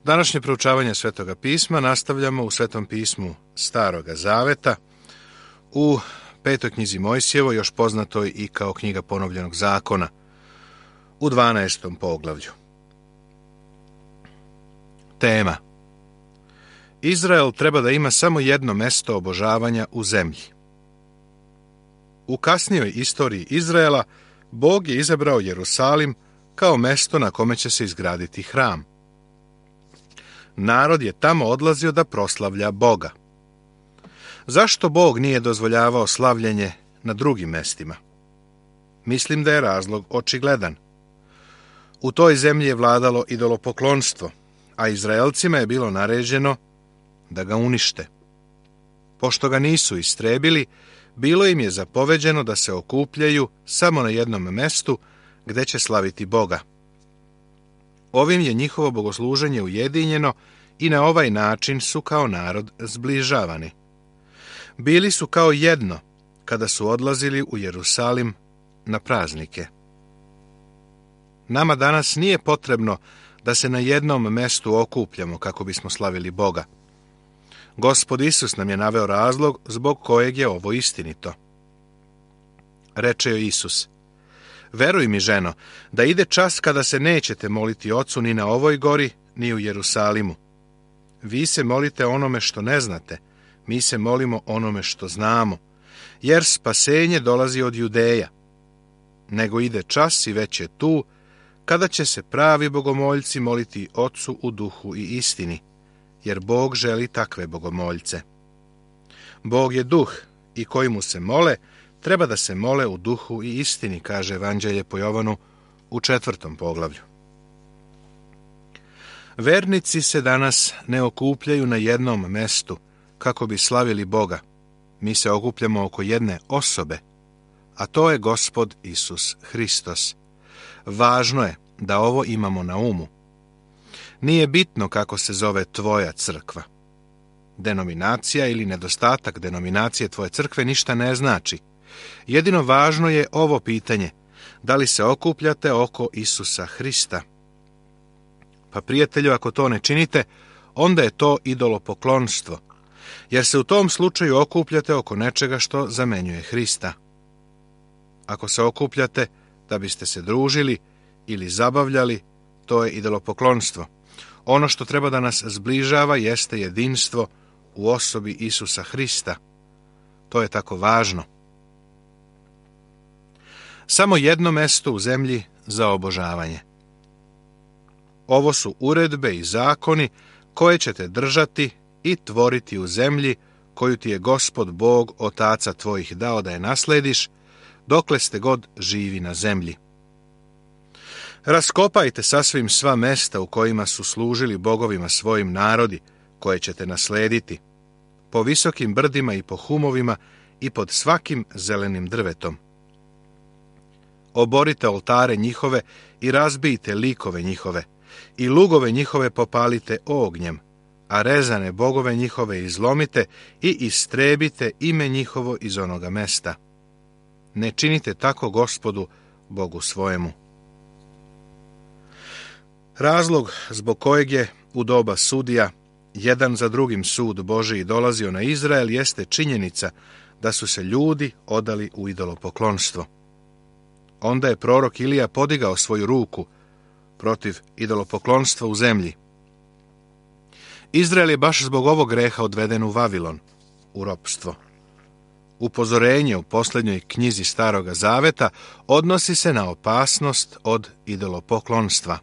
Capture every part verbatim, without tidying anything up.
Današnje proučavanje Svetoga pisma nastavljamo u Svetom pismu Staroga zaveta, u petoj knjizi Mojsijevoj, još poznatoj i kao knjiga ponovljenog zakona, u dvanaestom poglavlju. Tema: Izrael treba da ima samo jedno mesto obožavanja u zemlji. U kasnijoj istoriji Izraela Bog je izabrao Jerusalim kao mesto na kome će se izgraditi hram. Narod je tamo odlazio da proslavlja Boga. Zašto Bog nije dozvoljavao slavljenje na drugim mestima? Mislim da je razlog očigledan. U toj zemlji je vladalo idolopoklonstvo, a Izraelcima je bilo naređeno da ga unište. Pošto ga nisu istrebili, bilo im je zapoveđeno da se okupljaju samo na jednom mestu gde će slaviti Boga. Ovim je njihovo bogosluženje ujedinjeno i na ovaj način su kao narod zbližavani. Bili su kao jedno kada su odlazili u Jerusalim na praznike. Nama danas nije potrebno da se na jednom mestu okupljamo kako bismo slavili Boga. Gospod Isus nam je naveo razlog zbog kojeg je ovo istinito. Reče joj Isus: Veruj mi, ženo, da ide čas kada se nećete moliti Ocu ni na ovoj gori, ni u Jerusalimu. Vi se molite onome što ne znate, mi se molimo onome što znamo, jer spasenje dolazi od Judeja. Nego ide čas i već je tu, kada će se pravi bogomoljci moliti Ocu u duhu i istini, jer Bog želi takve bogomoljce. Bog je duh i koji mu se mole, treba da se mole u duhu i istini, kaže Evanđelje po Jovanu u četvrtom poglavlju. Vernici se danas ne okupljaju na jednom mestu kako bi slavili Boga. Mi se okupljamo oko jedne osobe, a to je Gospod Isus Hristos. Važno je da ovo imamo na umu. Nije bitno kako se zove tvoja crkva. Denominacija ili nedostatak denominacije tvoje crkve ništa ne znači. Jedino važno je ovo pitanje: da li se okupljate oko Isusa Hrista? Pa prijatelju, ako to ne činite, onda je to idolopoklonstvo, jer se u tom slučaju okupljate oko nečega što zamenjuje Hrista. Ako se okupljate da biste se družili ili zabavljali, to je idolopoklonstvo. Ono što treba da nas zbližava jeste jedinstvo u osobi Isusa Hrista. To je tako važno. Samo jedno mesto u zemlji za obožavanje. Ovo su uredbe i zakoni koje ćete držati i tvoriti u zemlji koju ti je Gospod Bog otaca tvojih dao da je naslediš, dokle ste god živi na zemlji. Raskopajte sasvim sva mesta u kojima su služili bogovima svojim narodi, koje ćete naslediti, po visokim brdima i po humovima i pod svakim zelenim drvetom. Oborite oltare njihove i razbijte likove njihove, i lugove njihove popalite ognjem, a rezane bogove njihove izlomite i istrebite ime njihovo iz onoga mesta. Ne činite tako Gospodu, Bogu svojemu. Razlog zbog kojeg je u doba sudija jedan za drugim sud Božiji dolazio na Izrael jeste činjenica da su se ljudi odali u idolopoklonstvo. Onda je prorok Ilija podigao svoju ruku protiv idolopoklonstva u zemlji. Izrael je baš zbog ovog greha odveden u Vavilon, u ropstvo. Upozorenje u posljednjoj knjizi Staroga zaveta odnosi se na opasnost od idolopoklonstva.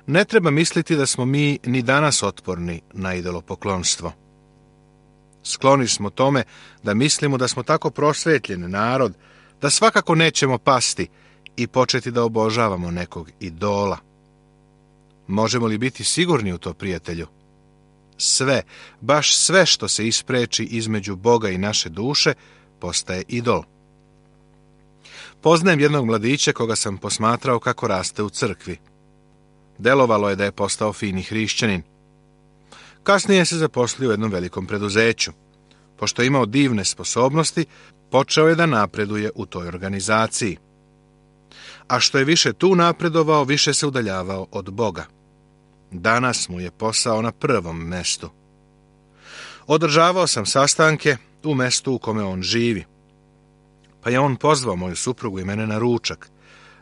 Ne treba misliti da smo mi ni danas otporni na idolopoklonstvo. Skloni smo tome da mislimo da smo tako prosvetljen narod da svakako nećemo pasti i početi da obožavamo nekog idola. Možemo li biti sigurni u to, prijatelju? Sve, baš sve što se ispreči između Boga i naše duše, postaje idol. Poznajem jednog mladića koga sam posmatrao kako raste u crkvi. Delovalo je da je postao fini hrišćanin. Kasnije se zaposlio u jednom velikom preduzeću. Pošto je imao divne sposobnosti, počeo je da napreduje u toj organizaciji. A što je više tu napredovao, više se udaljavao od Boga. Danas mu je posao na prvom mestu. Održavao sam sastanke u mestu u kome on živi, pa je on pozvao moju suprugu i mene na ručak,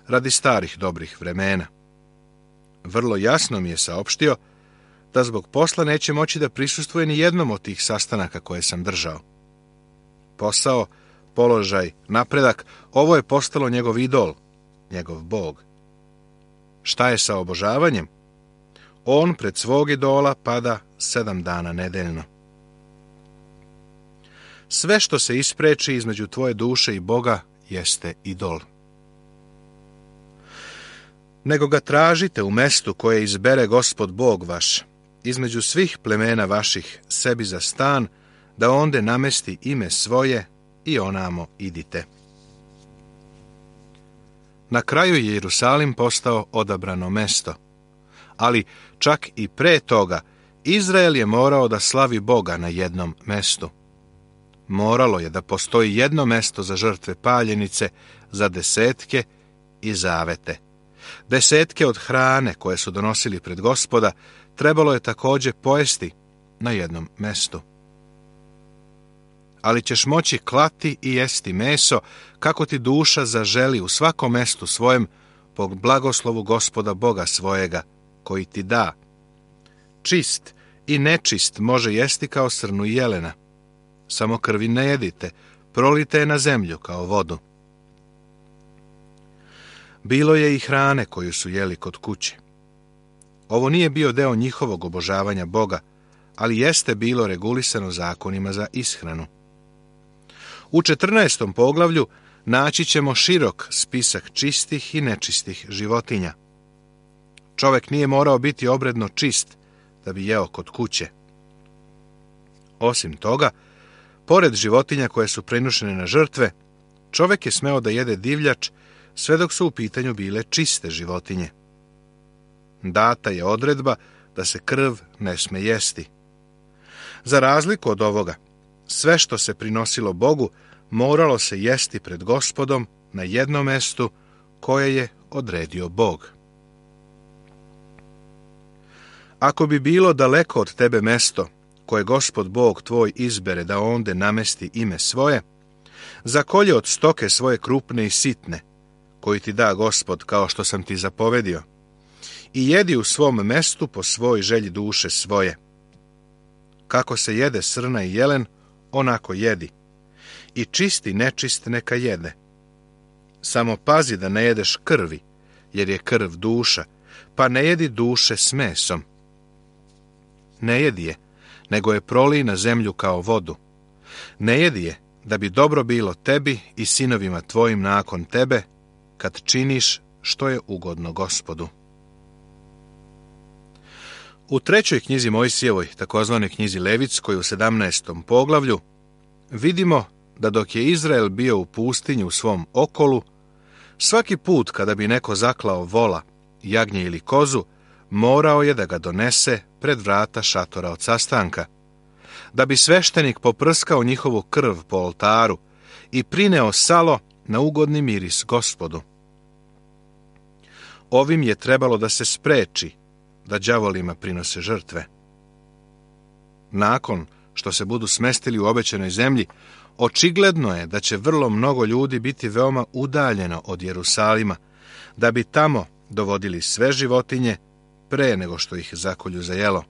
radi starih dobrih vremena. Vrlo jasno mi je saopštio da zbog posla neće moći da prisustvuje ni jednom od tih sastanaka koje sam držao. Posao, položaj, napredak, ovo je postalo njegov idol, njegov Bog. Šta je sa obožavanjem? On pred svog idola pada sedam dana nedeljno. Sve što se ispreči između tvoje duše i Boga jeste idol. Nego ga tražite u mestu koje izbere Gospod Bog vaš, između svih plemena vaših sebi za stan, da onde namesti ime svoje i onamo idite. Na kraju je Jerusalim postao odabrano mesto, ali čak i pre toga Izrael je morao da slavi Boga na jednom mestu. Moralo je da postoji jedno mesto za žrtve paljenice, za desetke i zavete. Desetke od hrane koje su donosili pred Gospoda trebalo je također pojesti na jednom mestu. Ali ćeš moći klati i jesti meso kako ti duša zaželi u svakom mestu svojem po blagoslovu Gospoda Boga svojega, koji ti da. Čist i nečist može jesti kao srnu i jelena. Samo krvi ne jedite, prolite je na zemlju kao vodu. Bilo je i hrane koju su jeli kod kuće. Ovo nije bio deo njihovog obožavanja Boga, ali jeste bilo regulisano zakonima za ishranu. U četrnaestom poglavlju naći ćemo širok spisak čistih i nečistih životinja. Čovek nije morao biti obredno čist da bi jeo kod kuće. Osim toga, pored životinja koje su prinošene na žrtve, čovek je smeo da jede divljač sve dok su u pitanju bile čiste životinje. Data je odredba da se krv ne sme jesti. Za razliku od ovoga, sve što se prinosilo Bogu moralo se jesti pred Gospodom na jednom mestu koje je odredio Bog. Ako bi bilo daleko od tebe mesto koje Gospod Bog tvoj izbere da onde namesti ime svoje, zakolje od stoke svoje krupne i sitne, koji ti da Gospod kao što sam ti zapovedio, i jedi u svom mestu po svoj želji duše svoje. Kako se jede srna i jelen, onako jedi, i čisti nečist neka jede. Samo pazi da ne jedeš krvi, jer je krv duša, pa ne jedi duše s mesom. Ne jedi je, nego je prolij na zemlju kao vodu. Ne jedi je, da bi dobro bilo tebi i sinovima tvojim nakon tebe, kad činiš što je ugodno Gospodu. U trećoj knjizi Mojsijevoj, takozvanoj knjizi Levitskoj, u sedamnaestom poglavlju, vidimo da dok je Izrael bio u pustinji u svom okolu, svaki put kada bi neko zaklao vola, jagnje ili kozu, morao je da ga donese pred vrata šatora od sastanka, da bi sveštenik poprskao njihovu krv po oltaru i prineo salo na ugodni miris Gospodu. Ovim je trebalo da se spreči da đavolima prinose žrtve. Nakon što se budu smestili u obećanoj zemlji, očigledno je da će vrlo mnogo ljudi biti veoma udaljeno od Jerusalima, da bi tamo dovodili sve životinje pre nego što ih zakolju za jelo.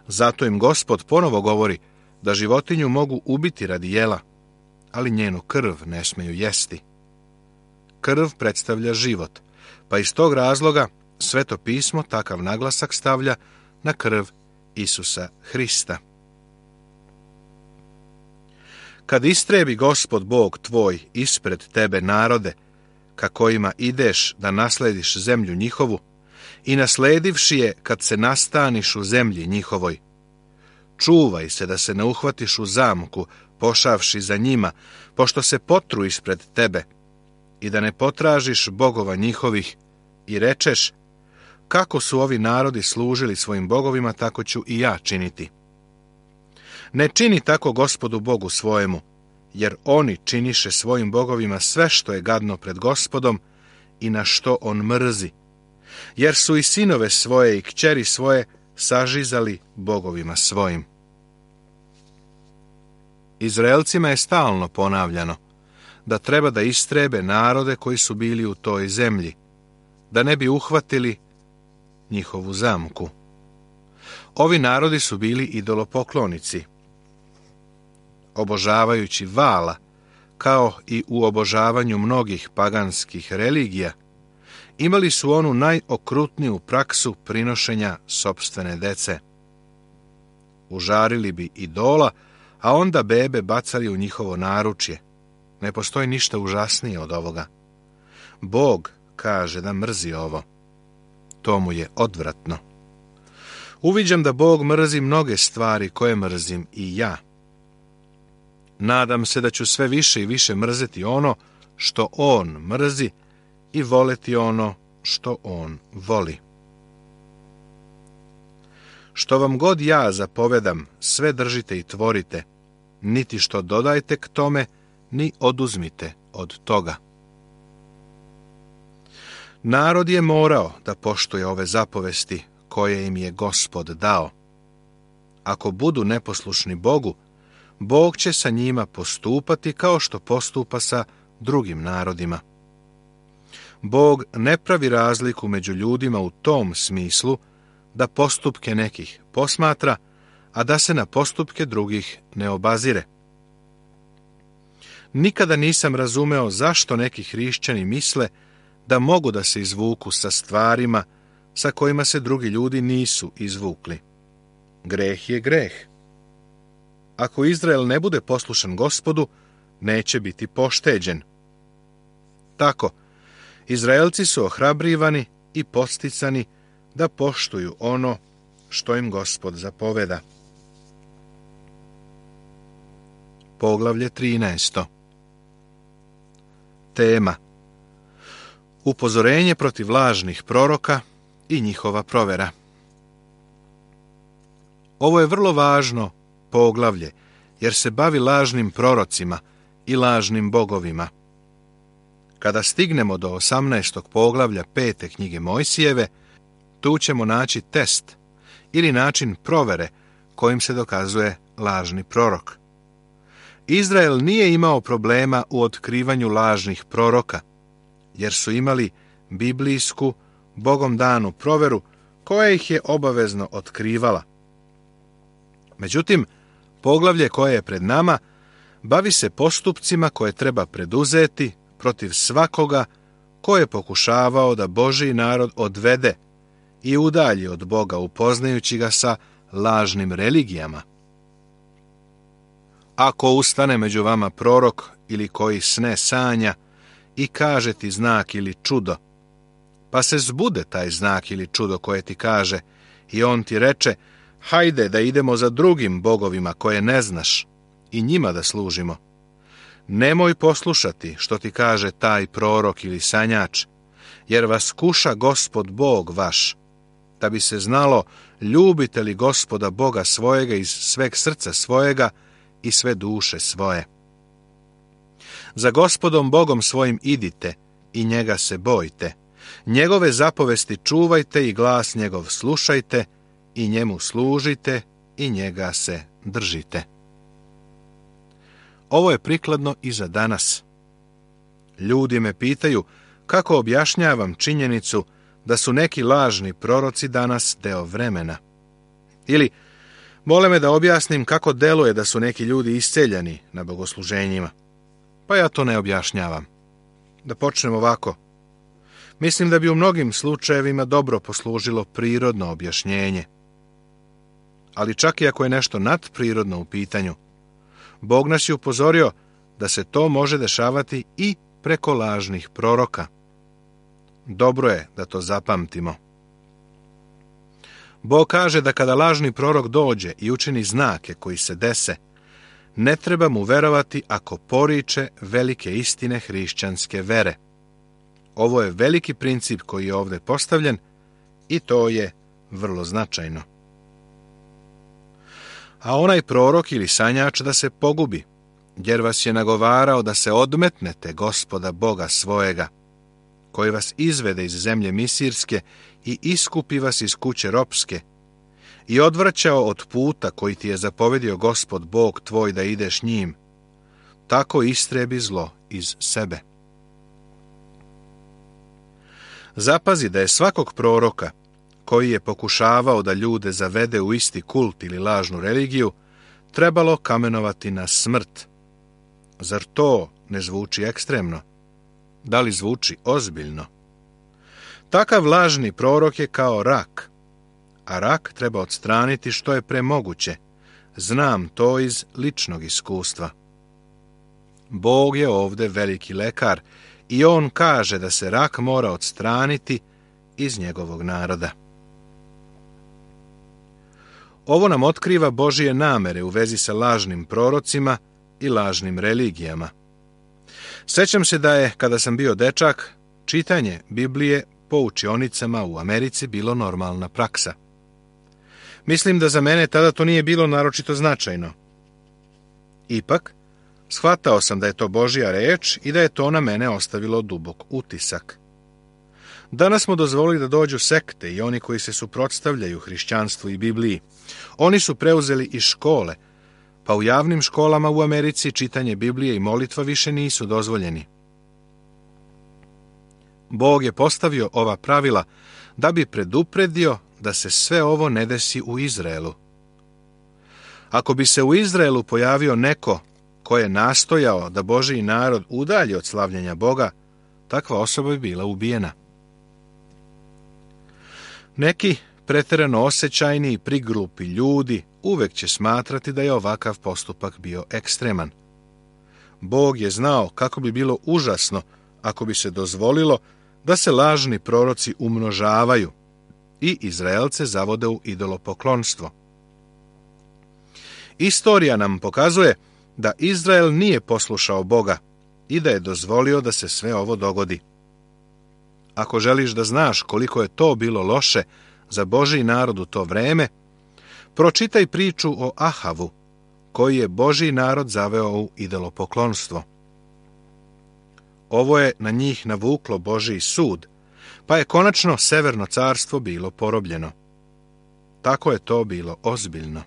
Zato im Gospod ponovo govori da životinju mogu ubiti radi jela, ali njenu krv ne smeju jesti. Krv predstavlja život, pa iz tog razloga Sveto pismo takav naglasak stavlja na krv Isusa Hrista. Kad istrebi Gospod Bog tvoj ispred tebe narode, ka kojima ideš da naslediš zemlju njihovu, i nasledivši je kad se nastaniš u zemlji njihovoj, čuvaj se da se ne uhvatiš u zamku, pošavši za njima, pošto se potru ispred tebe, i da ne potražiš bogova njihovih, i rečeš, kako su ovi narodi služili svojim bogovima, tako ću i ja činiti. Ne čini tako Gospodu Bogu svojemu, jer oni činiše svojim bogovima sve što je gadno pred Gospodom i na što on mrzi. jer su i sinove svoje i kćeri svoje sažizali bogovima svojim. Izraelcima je stalno ponavljano da treba da istrebe narode koji su bili u toj zemlji, da ne bi uhvatili njihovu zamku. Ovi narodi su bili idolopoklonici, obožavajući Vala, kao i u obožavanju mnogih paganskih religija, imali su onu najokrutniju praksu prinošenja sopstvene dece. Užarili bi idola, a onda bebe bacali u njihovo naručje. Ne postoji ništa užasnije od ovoga. Bog kaže da mrzi ovo. To mu je odvratno. Uviđam da Bog mrzi mnoge stvari koje mrzim i ja. Nadam se da ću sve više i više mrzeti ono što On mrzi i voleti ono što On voli. Što vam god ja zapovedam, sve držite i tvorite, niti što dodajte k tome, ni oduzmite od toga. Narod je morao da poštuje ove zapovesti koje im je Gospod dao. Ako budu neposlušni Bogu, Bog će sa njima postupati kao što postupa sa drugim narodima. Bog ne pravi razliku među ljudima u tom smislu da postupke nekih posmatra, a da se na postupke drugih ne obazire. Nikada nisam razumeo zašto neki hrišćani misle da mogu da se izvuku sa stvarima sa kojima se drugi ljudi nisu izvukli. Greh je greh. Ako Izrael ne bude poslušan Gospodu, neće biti pošteđen. Tako, Izraelci su ohrabrivani i podsticani da poštuju ono što im Gospod zapoveda. Poglavlje trinaesto. Tema: upozorenje protiv lažnih proroka i njihova provera. Ovo je vrlo važno poglavlje, jer se bavi lažnim prorocima i lažnim bogovima. Kada stignemo do osamnaestog poglavlja pete knjige Mojsijeve, tu ćemo naći test ili način provere kojim se dokazuje lažni prorok. Izrael nije imao problema u otkrivanju lažnih proroka, jer su imali biblijsku, Bogom danu proveru koja ih je obavezno otkrivala. Međutim, poglavlje koje je pred nama bavi se postupcima koje treba preduzeti protiv svakoga ko je pokušavao da Božji narod odvede i udalji od Boga, upoznajući ga sa lažnim religijama. Ako ustane među vama prorok ili koji sne sanja i kaže ti znak ili čudo, pa se zbude taj znak ili čudo koje ti kaže i on ti reče: hajde da idemo za drugim bogovima koje ne znaš i njima da služimo. Nemoj poslušati što ti kaže taj prorok ili sanjač, jer vas kuša Gospod Bog vaš, da bi se znalo ljubite li Gospoda Boga svojega iz sveg srca svojega i sve duše svoje. Za Gospodom Bogom svojim idite i njega se bojte, njegove zapovesti čuvajte i glas njegov slušajte i njemu služite i njega se držite. Ovo je prikladno i za danas. Ljudi me pitaju kako objašnjavam činjenicu da su neki lažni proroci danas deo vremena. Ili mole me da objasnim kako deluje da su neki ljudi isceljani na bogosluženjima. Pa ja to ne objašnjavam. Da počnem ovako. Mislim da bi u mnogim slučajevima dobro poslužilo prirodno objašnjenje. Ali čak i ako je nešto nadprirodno u pitanju, Bog nas je upozorio da se to može dešavati i preko lažnih proroka. Dobro je da to zapamtimo. Bog kaže da kada lažni prorok dođe i učini znake koji se dese, ne treba mu verovati ako poriče velike istine hrišćanske vere. Ovo je veliki princip koji je ovdje postavljen i to je vrlo značajno. A onaj prorok ili sanjač da se pogubi, jer vas je nagovarao da se odmetnete Gospoda Boga svojega, koji vas izvede iz zemlje misirske i iskupi vas iz kuće ropske, i odvraćao od puta koji ti je zapovedio Gospod Bog tvoj da ideš njim, tako istrebi zlo iz sebe. Zapazi da je svakog proroka koji je pokušavao da ljude zavede u isti kult ili lažnu religiju, trebalo kamenovati na smrt. Zar to ne zvuči ekstremno? Da li zvuči ozbiljno? Takav lažni prorok je kao rak, a rak treba odstraniti što je premoguće. Znam to iz ličnog iskustva. Bog je ovdje veliki lekar i on kaže da se rak mora odstraniti iz njegovog naroda. Ovo nam otkriva Božije namere u vezi sa lažnim prorocima i lažnim religijama. Sjećam se da je, kada sam bio dečak, čitanje Biblije po učionicama u Americi bilo normalna praksa. Mislim da za mene tada to nije bilo naročito značajno. Ipak, shvatao sam da je to Božja reč i da je to na mene ostavilo dubok utisak. Danas smo dozvolili da dođu sekte i oni koji se suprotstavljaju hrišćanstvu i Bibliji. Oni su preuzeli i škole, pa u javnim školama u Americi čitanje Biblije i molitva više nisu dozvoljeni. Bog je postavio ova pravila da bi predupredio da se sve ovo ne desi u Izraelu. Ako bi se u Izraelu pojavio neko ko je nastojao da Božji narod udalji od slavljenja Boga, takva osoba bi bila ubijena. Neki pretjerano osjećajni i priglupi ljudi uvek će smatrati da je ovakav postupak bio ekstreman. Bog je znao kako bi bilo užasno ako bi se dozvolilo da se lažni proroci umnožavaju i Izraelce zavode u idolopoklonstvo. Istorija nam pokazuje da Izrael nije poslušao Boga i da je dozvolio da se sve ovo dogodi. Ako želiš da znaš koliko je to bilo loše za Božji narod u to vreme, pročitaj priču o Ahavu, koji je Božji narod zaveo u idolopoklonstvo. Ovo je na njih navuklo Božji sud, pa je konačno Severno carstvo bilo porobljeno. Tako je to bilo ozbiljno.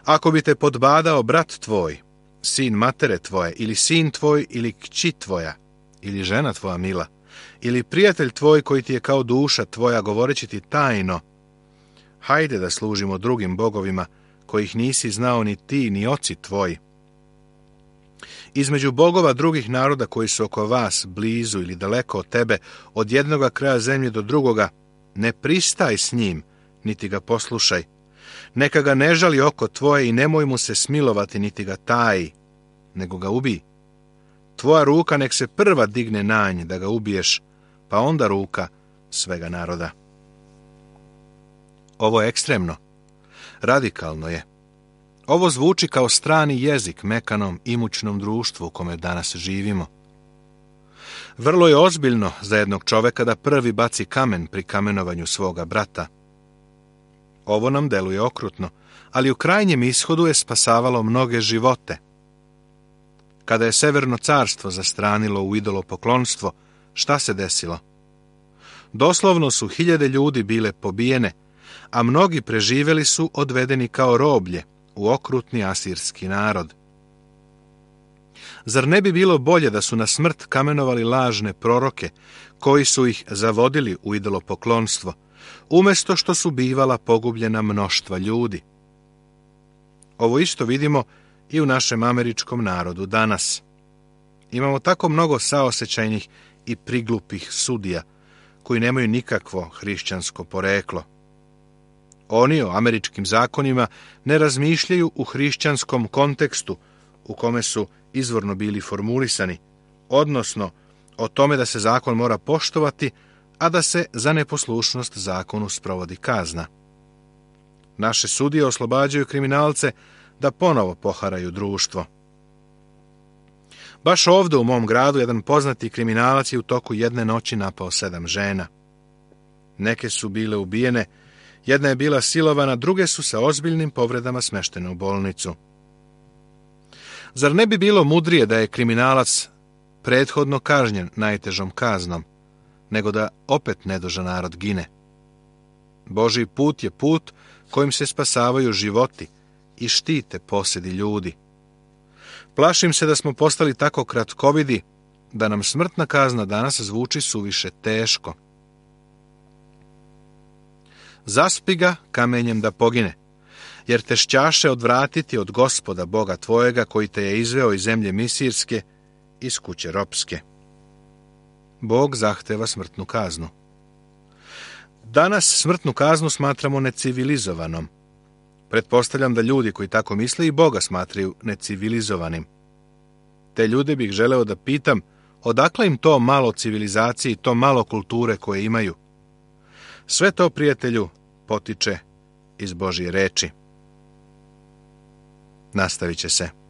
Ako bi te podbadao brat tvoj, sin matere tvoje, ili sin tvoj, ili kći tvoja, ili žena tvoja mila, ili prijatelj tvoj koji ti je kao duša tvoja, govoreći ti tajno, hajde da služimo drugim bogovima, kojih nisi znao ni ti, ni oci tvoji. Između bogova drugih naroda koji su oko vas, blizu ili daleko od tebe, od jednoga kraja zemlje do drugoga, ne pristaj s njim, niti ga poslušaj. Neka ga ne žali oko tvoje i nemoj mu se smilovati, niti ga taji, nego ga ubij. Tvoja ruka nek se prva digne na nj da ga ubiješ, pa onda ruka svega naroda. Ovo je ekstremno. Radikalno je. Ovo zvuči kao strani jezik mekanom imućnom društvu u kome danas živimo. Vrlo je ozbiljno za jednog čoveka da prvi baci kamen pri kamenovanju svoga brata. Ovo nam deluje okrutno, ali u krajnjem ishodu je spasavalo mnoge živote. Kada je Severno carstvo zastranilo u idolopoklonstvo, šta se desilo? Doslovno su hiljade ljudi bile pobijene, a mnogi preživjeli su odvedeni kao roblje u okrutni asirski narod. Zar ne bi bilo bolje da su na smrt kamenovali lažne proroke, koji su ih zavodili u idolopoklonstvo, umjesto što su bivala pogubljena mnoštva ljudi? Ovo isto vidimo i u našem američkom narodu danas. Imamo tako mnogo saosećajnih i priglupih sudija, koji nemaju nikakvo hrišćansko poreklo. Oni o američkim zakonima ne razmišljaju u hrišćanskom kontekstu u kome su izvorno bili formulisani, odnosno o tome da se zakon mora poštovati, a da se za neposlušnost zakonu sprovodi kazna. Naše sudije oslobađaju kriminalce da ponovo poharaju društvo. Baš ovdje u mom gradu jedan poznati kriminalac je u toku jedne noći napao sedam žena. Neke su bile ubijene, jedna je bila silovana, druge su sa ozbiljnim povredama smeštene u bolnicu. Zar ne bi bilo mudrije da je kriminalac prethodno kažnjen najtežom kaznom, nego da opet nedužan narod gine. Božji put je put kojim se spasavaju životi i štite posjedi ljudi. Plašim se da smo postali tako kratkovidi da nam smrtna kazna danas zvuči suviše teško. Zaspi ga kamenjem da pogine, jer te šćaše odvratiti od Gospoda Boga tvojega koji te je izveo iz zemlje misirske, iz kuće ropske. Bog zahteva smrtnu kaznu. Danas smrtnu kaznu smatramo necivilizovanom. Pretpostavljam da ljudi koji tako misle i Boga smatraju necivilizovanim. Te ljude bih želeo da pitam odakle im to malo civilizacije i to malo kulture koje imaju. Sve to, prijatelju, potiče iz Božje reči. Nastavit će se.